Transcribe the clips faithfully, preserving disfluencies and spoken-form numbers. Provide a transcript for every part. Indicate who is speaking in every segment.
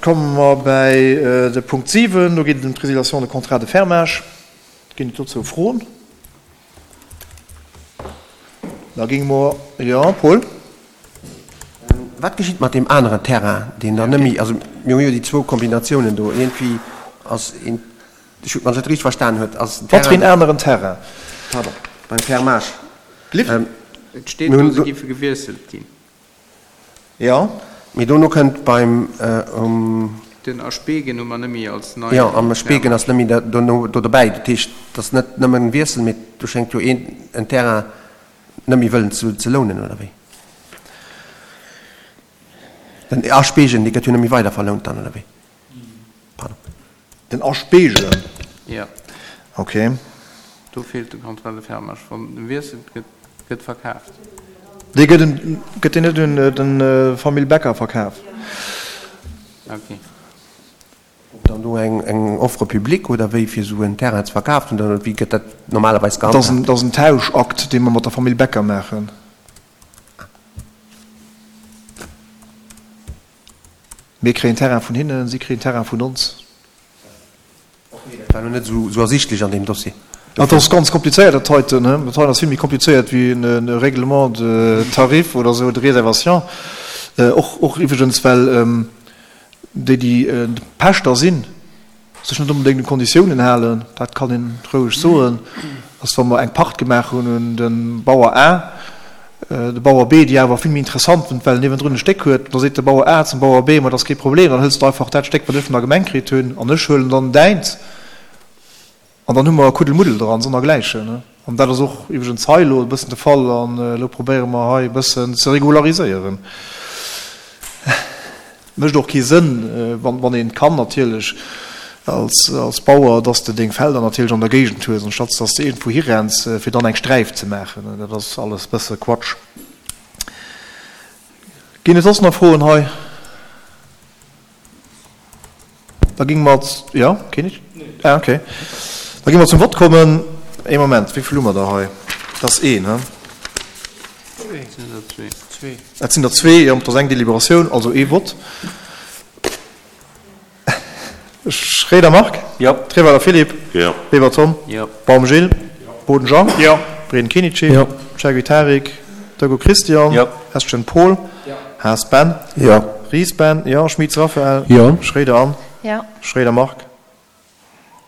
Speaker 1: komme mer bäi de Punkt siwen. Do geet et ëm d'Résiliation de contrat de fermage. Ginn et dozou Froen? Da géinge mer, jo, Paul?
Speaker 2: Wat geschitt mat deem aneren Terrain, deen dann net méi, also mir hu jo déi zwou Kombinatiounen do, iergendwéi ass een, ech, wann ech dat richteg verstanen huet, ass den
Speaker 1: Wat fir een
Speaker 2: Terrain,
Speaker 1: aneren Terrain?
Speaker 2: Pardon, beim Fermage.
Speaker 1: Lift.
Speaker 3: Et steet do, se géife gewiesselt ginn.
Speaker 1: Jo.
Speaker 2: Mee dono kënnt beim um.
Speaker 3: Den A Speegen hu mer net méi als neien
Speaker 2: Jo, am Speegen
Speaker 3: Fermage.
Speaker 2: ass net méi dono do dobäi. Dat heescht, et ass net nëmmen Wiessel, mee do schéngt jo een en Terrain net méi wëllen ze ze lounen, oder wéi? Den A Speegen, dee gëtt jo net méi weider verlount dann, oder wéi? Pardon.
Speaker 1: Den A Speegen?
Speaker 3: Jo.
Speaker 1: Ok.
Speaker 3: Do feelt de Contrat de fermage. Wann e wiesselt, gëtt, gëtt verkaaft.
Speaker 1: Dee gëtt un, gëtt deen net un de Famill Becker verkaf?
Speaker 3: Ok.
Speaker 2: Ob dann do eng, eng Offre publique oder wéi fir esou en Terrain ze verkafen oder wéi gëtt dat normalerweis
Speaker 1: Dat ass en,
Speaker 2: gehandhaabt?
Speaker 1: dat ass en Tauschakt, dee mer mat der Famill Becker maachen. Mir kréien Terrain vun hinnen, si kréien Terrain vun ons.
Speaker 2: Ok, dat war elo net esou ersichtlech an deem Dossier.
Speaker 1: Dat ass ganz komplizéiert, dat heiten. Dat heiten ass vill méi komplizéiert wéi e Règlement de tarif oder esou, de réservation. Och, och iwwregens, well déi, déi Pächter sinn, sech net onbedéngt un d'Konditiounen halen. Dat kann een roueg soen, dass wa mer eng Pacht gemaach hunn un de Bauer A, de Bauer B déi awer vill méi interessant fënnt, well en niewendrun e Stéck huet, da seet de Bauer A zum Bauer B, Ma dat ass kee Problem, dann hëls de einfach dat Stéck, wat ech vun der Gemeng kritt hunn, an ech huelen dann däint. An dann hu mer e Kuddelmuddel dran, sonnergläichen. An dat ass och iwwregens hei elo e bëssen de Fall. An elo probéiere mer hei e bëssen ze regulariséieren. Mécht och kee Sënn, wann een kann natierlech als Bauer, dass de deng Felder natierlech an der Géigend hues, anstatt dass de iergendwou hirenns, fir dann eng Sträif ze maachen. Dat ass alles e bësse Quatsch. Ginn et soss nach Froen hei? Da géinge mer, jo, keen nicht? Ah, okay. Da géinge mer zum Vott kommen. Ee Moment, wéi vill hu mer der hei? Dat ass een, he?
Speaker 3: Et sinn der zwee.
Speaker 1: Zwee. Et sinn der zwee, jo, et ass eng Deliberatioun, also ee Vott. Schréider Marc?
Speaker 4: Jo.
Speaker 1: Treweiler Philippe?
Speaker 4: Jo.
Speaker 1: Weber Tom?
Speaker 3: Jo.
Speaker 1: Baum Gilles?
Speaker 4: Jo.
Speaker 1: Boden Jean?
Speaker 4: Jo.
Speaker 1: Breden Kenichi?
Speaker 2: Jo.
Speaker 1: Chergui Tarik? Dego Christian?
Speaker 4: Jo.
Speaker 1: Estgen Paul?
Speaker 4: Jo.
Speaker 1: Haas Ben?
Speaker 2: Jo.
Speaker 1: Ries Ben? Jo. Schmitz Raphaël?
Speaker 2: Jo.
Speaker 1: Schréider Anne?
Speaker 5: Jo.
Speaker 1: Schréider Marc?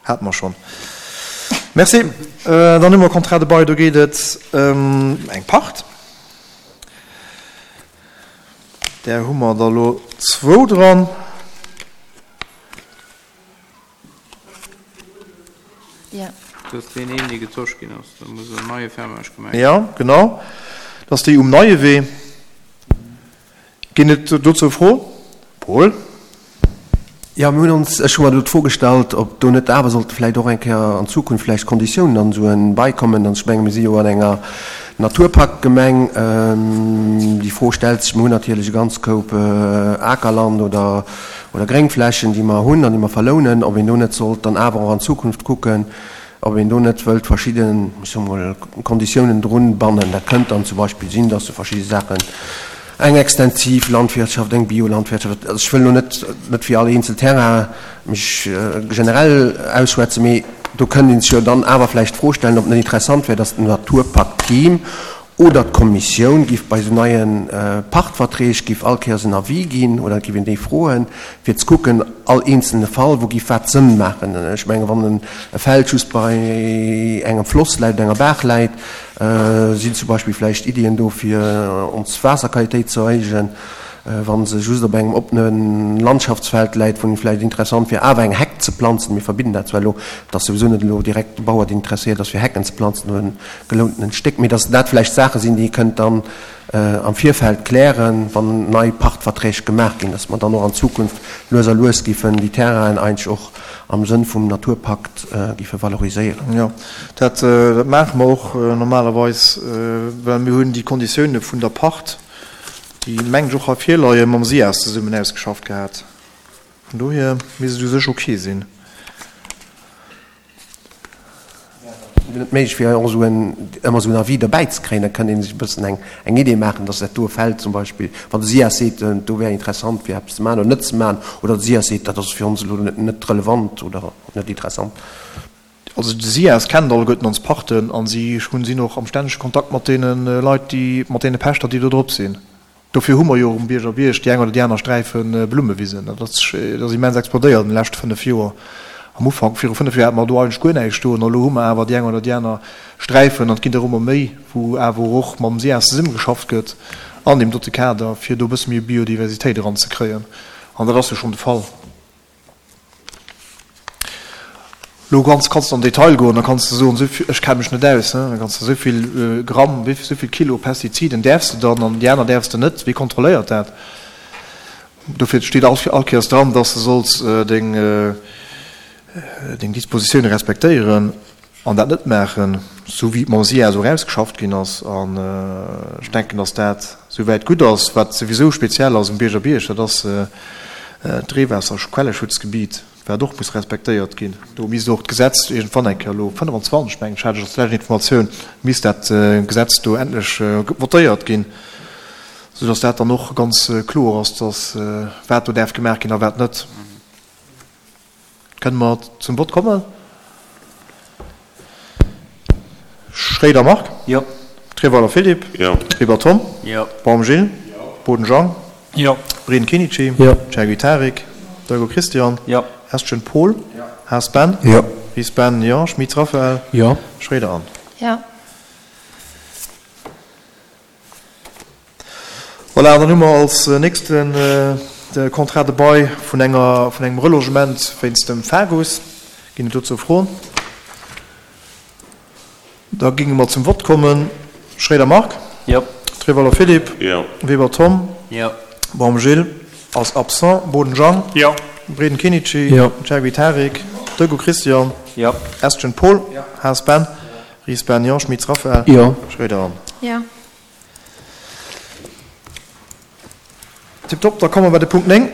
Speaker 1: Hate mer schonn. Merci. Dann hu mer Contrat de bail, do geet et ëm eng Pacht. Där hu mer der elo zwou dran.
Speaker 5: Jo.
Speaker 3: Dat ass deen een, dee getosch ginn ass. Da muss en neie Fermage gemaach ginn.
Speaker 1: Jo, genau. Dat ass déi um Neiewee. Ginn et dozou Froen? Paul?
Speaker 2: Jo, mir hunn ons, ech hu mer do d'Fro gestallt, ob do net awer sollte vläicht och eng Kéier an Zukunft vläicht Konditiounen an esou en Bail kommen. An ech menge mir si jo an enger Naturparkgemeng. Déi Fro stellt sech. Mir hunn natierlech e ganz Koup Akerland oder, oder Gréngflächen, déi mer hunn an déi mer verlounen, ob een do net sollt dann awer och an Zukunft kucken, ob een do net wëllt verschidden, ech soe mol, Konditiounen drun bannen. Dat kënnt dann zum Beispill sinn, dass se verschidde Saachen, eng extensiv Landwirtschaft, eng Biolandwirtschaft, also ech wëll elo net, net fir all eenzel Terrain mech generell ausschwätzen, mee do kënnt ee sech jo dann awer vläicht d'Fro stellen, ob et net interessant wär, dass den Naturpakt-Team oder d'Kommissioun giff bei esou neie Pachtverträg giff all Kéiers en Avis ginn oder et giff een déi froen, fir ze kucken, all eenzelne Fall, wou giff wat Sënn maachen. Ech menge wann e Feld just bei engem Floss läit oder enger Baach läit, sinn zum Beispill vläicht Iddien do fir ons Waasserqualitéit ze erhéijen, wa se just op engem oppene Landschaftsfeld läit, wou et vläicht interessant wier awer eng Heck ze planzen. Mir verbidden dat zwar elo, et ass souwisou net elo direkt de Bauer deen interesséiert ass fir Hecken ze planzen oder en gelountenen Stéck, mee datt dat vläicht Saache sinn, déi ee kënnt dann am Virfeld klären, wann nei Pachtverträg gemaach ginn, datt mer dann och an Zukunft lues a lues giffen déi Terrainen eigentlech och am Sënn vum Naturpakt giffe valoriséieren.
Speaker 1: Jo, dat maache mer och normalerweis, well mir hunn déi Konditioune vun der Pacht, déi mengen ech och hei virleien, mam SIAS zesummen ausgeschafft gehat. Vun dohier misst et u sech ok sinn.
Speaker 2: net méiglech wier, och esou en, ëmmer esou en Avis derbäi ze kréien, da kënnt ee sech e bëssen eng, eng Idee maachen, dass dat do e Feld zum Beispill, wann de SIAS seet, do wär interessant fir eppes ze maachen oder net ze maachen, oder de SIAS seet, dat ass fir ons elo net, net relevant oder net interessant.
Speaker 1: Also de SIAS kennt alleguerten ons Parten a si hunn, sinn och am stännege Kontakt mat deene Leit, déi, mat deene Pächter, déi do drop sinn. Dofir hu mer jo och um Bierger Bierg déi eng oder déi aner Sträife Blummewisen. Dat ass, dat ass immens explodéiert an de leschte fënnef Joer. Am Ufank, viru fënnef Joer, hate mer do eigentlech guer näischt stoen. Elo hu mer awer déi eng oder déi aner Sträifen, an et ginn der ëmmer méi, wou awer och mam SIAS zesummegeschafft gëtt an deem dote Kader, fir do e bësse méi Biodiversitéit eranzekréien. An dat ass jo schonn de Fall. Lo kanns kanns de an Detail goen, da kanns de soen, esou ech kenne mech net aus, da kanns de esou vill Gramm, wéi esou vill Kilo Pestiziden däerfs de dann an déi aner däerfs de net, wie kontrolléiert dat? Dofir steet all all Kéiers dran, dass de solls deng deng Dispositioune respektéieren an dat net maachen, esou wéi et mam SIAS och ausgeschafft ginn ass. An ech denken, dass dat souwäit gutt ass. Wat souwisou speziell ass um Bierger Bierg, dat ass d'Reewaasserquelleschutzgebiet. Wat och muss respektéiert ginn. Do misst och d'Gesetz iergendwann eng Kéier, elo fënnefanzwanzeg mengen ech, hat ech als lescht Informatioun, misst dat Gesetz do endlech votéiert ginn, soudass dat dann och ganz kloer ass, dass wat do däerf gemaach ginn a wat net. Kënne mer zum Vott kommen? Schréider Marc.
Speaker 3: Jo.
Speaker 1: Treweiler Philippe.
Speaker 4: Jo.
Speaker 1: Weber Tom.
Speaker 3: Jo.
Speaker 1: Baum Gilles. Boden Jean.
Speaker 3: Jo.
Speaker 1: Breden Kenichi.
Speaker 2: Jo.
Speaker 1: Chergui Tarik. Deugo Christian.
Speaker 3: Jo.
Speaker 1: Estgen Paul.
Speaker 3: Jo.
Speaker 1: Haas Ben.
Speaker 2: Jo.
Speaker 1: Ries Ben, jo. Schmitz Raphaël.
Speaker 2: Jo.
Speaker 1: Schroeder Anne.
Speaker 5: Jo.
Speaker 1: Voilà, an dann hu mer als nächsten de Contrat de bail vun enger, vun engem Relogement wéinst dem Fagus. Ginn et dozou Froen? Da géinge mer zum Vott kommen. Schroeder Marc.
Speaker 3: Jo.
Speaker 1: Treweiler Philippe.
Speaker 4: Jo.
Speaker 1: Weber Tom.
Speaker 3: Jo.
Speaker 1: Baum Gilles ass absent. Boden Jean.
Speaker 3: Jo.
Speaker 1: Breden Kenichi.
Speaker 2: Jo.
Speaker 1: Chergui Tarik. Deugo Christian.
Speaker 3: Jo.
Speaker 1: Estgen Paul.
Speaker 3: Jo.
Speaker 1: Haas Ben. Ries Ben, jo. Schmitz Raphaël.
Speaker 2: Jo.
Speaker 1: Schroeder Anne.
Speaker 5: Jo.
Speaker 1: Tiptop, da komme mer bei de Punkt néng.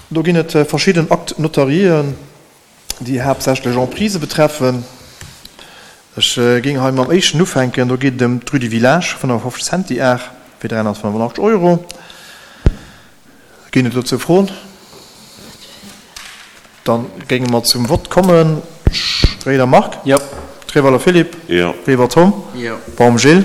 Speaker 1: Do ginn et verschidden Actes notariéen, déi haaptsächlech Emprisë betreffen. Ech géing hei mam éischten ufänken. Do geet et ëm d'Rue du Village, fënnefafofzeg Centiar fir dräihonnertfënnefundachtzeg Euro. Ginn et dozou Froen? Da géinge mer zum Vott kommen. Schroeder Marc.
Speaker 3: Jo.
Speaker 1: Treweiler Philippe.
Speaker 4: Jo.
Speaker 1: Weber Tom.
Speaker 3: Jo.
Speaker 1: Baum Gilles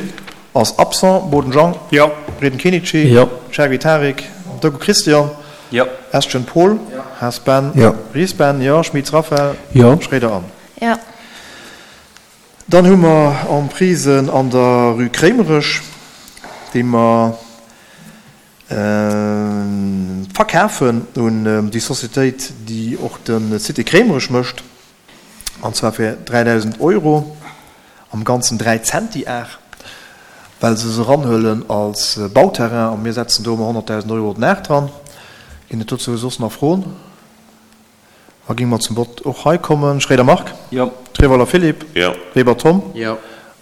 Speaker 1: ass absent. Boden Jean.
Speaker 3: Jo.
Speaker 1: Breden Kenichi.
Speaker 2: Jo.
Speaker 1: Chergui Tarik. Deugo Christian.
Speaker 3: Jo.
Speaker 1: Estgen Paul.
Speaker 3: Jo.
Speaker 1: Haas Ben.
Speaker 2: Jo.
Speaker 1: Ries Ben, jo. Schmitz Raphaël.
Speaker 2: Jo.
Speaker 1: Schroeder Anne.
Speaker 5: Jo.
Speaker 1: Dann hu mer Emprisen an der Rue Kréimerech, déi mer verkafen un déi Sociétéit, déi och de Cité Kréimerech mécht, an zwar fir dräidausend Euro, am Ganzen dräi Zentiar, well se se eranhuelen als Bauterrain, a mir setzen do ëmmer honnertdausend Euro den Aart dran. Ginn et dozou soss nach Froen? Da géinge mer zum Vott och hei kommen. Schroeder Marc.
Speaker 3: Jo.
Speaker 1: Treweiler Philippe.
Speaker 4: Jo.
Speaker 1: Weber Tom.
Speaker 3: Jo.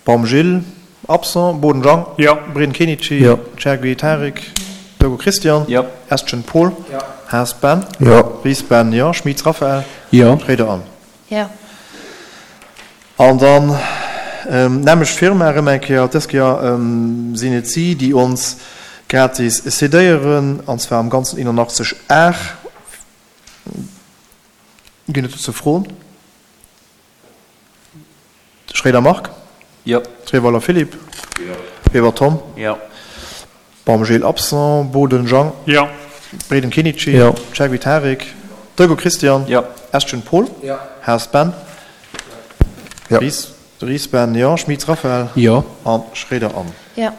Speaker 1: Baum Gilles, absent. Boden Jean.
Speaker 3: Jo.
Speaker 1: Breden Kenichi.
Speaker 2: Jo.
Speaker 1: Chergui Tarik. Deugo Christian.
Speaker 3: Jo.
Speaker 1: Estgen Paul.
Speaker 3: Jo.
Speaker 1: Haas Ben.
Speaker 2: Jo.
Speaker 1: Ries Ben, jo. Schmitz Raphaël.
Speaker 2: Jo.
Speaker 1: Schroeder Anne.
Speaker 5: Jo.
Speaker 1: An dann d'nämmlecht Firma erëm eng Kéier. Dës Kéier sinn et si, déi ons gratis cédéieren, an zwar am Ganzen eenundachtzeg Ar. Ginn et dozou Froen? Schroeder Marc.
Speaker 3: Jo.
Speaker 1: Treweiler Philippe.
Speaker 4: Jo.
Speaker 1: Weber Tom.
Speaker 3: Jo.
Speaker 1: Baum Gilles absent. Boden Jean.
Speaker 3: Jo.
Speaker 1: Breden Kenichi.
Speaker 2: Jo.
Speaker 1: Chergui Tarik. Deugo Christian.
Speaker 3: Jo.
Speaker 1: Estgen Paul.
Speaker 3: Jo.
Speaker 1: Haas Ben.
Speaker 2: Jo.
Speaker 1: Ries, Ries Ben, jo. Schmitz Raphaël.
Speaker 2: Jo.
Speaker 1: An Schroeder Anne.
Speaker 5: Jo.